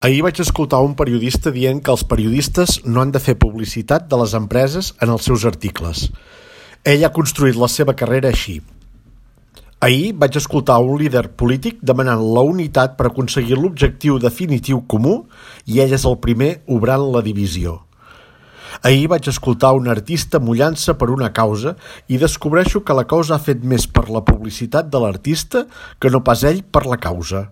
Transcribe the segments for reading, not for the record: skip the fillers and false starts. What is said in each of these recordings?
Ahir vaig escoltar un periodista dient que els periodistes no han de fer publicitat de les empreses en els seus articles. Ell ha construït la seva carrera així. Ahir vaig escoltar un líder polític demanant la unitat per aconseguir l'objectiu definitiu comú i ell és el primer obrant la divisió. Ahir vaig escoltar un artista mullant-se per una causa i descobreixo que la causa ha fet més per la publicitat de l'artista que no pas ell per la causa.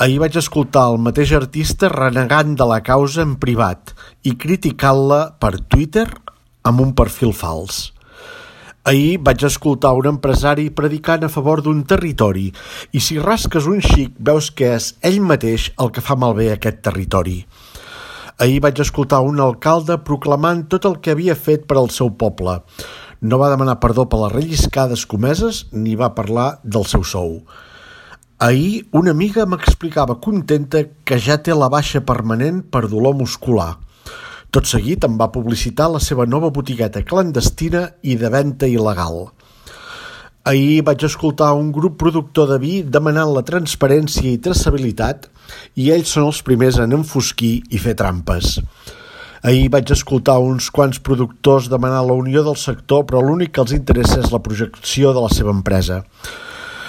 Ahir vaig escoltar el mateix artista renegant de la causa en privat i criticant-la per Twitter amb un perfil fals. Ahir vaig escoltar un empresari predicant a favor d'un territori i si rasques un xic veus que és ell mateix el que fa malbé aquest territori. Ahir vaig escoltar un alcalde proclamant tot el que havia fet per al seu poble. No va demanar perdó per les relliscades comeses ni va parlar del seu sou. Ahir una amiga m'explicava contenta que ja té la baixa permanent per dolor muscular. Tot seguit em va publicitar la seva nova botigueta clandestina i de venda il·legal. Ahir vaig escoltar un grup productor de vi demanant la transparència i traçabilitat i ells són els primers en enfosquir i fer trampes. Ahir vaig escoltar uns quants productors demanar la unió del sector però l'únic que els interessa és la projecció de la seva empresa.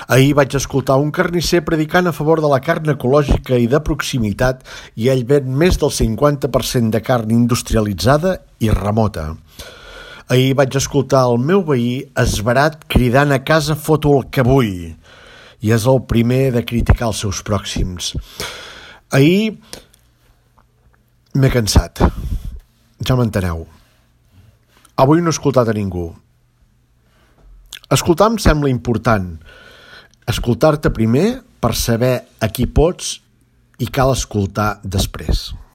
Ahir vaig escoltar un carnisser predicant a favor de la carn ecològica i de proximitat i ell ven més del 50% de carn industrialitzada i remota. Ahir vaig escoltar el meu veí esverat cridant a casa foto el que vull i és el primer de criticar els seus pròxims. Ahir m'he cansat, ja m'enteneu. Avui no he escoltat a ningú. Escoltar em sembla important. Escoltar-te primer per saber a qui pots i cal escoltar després.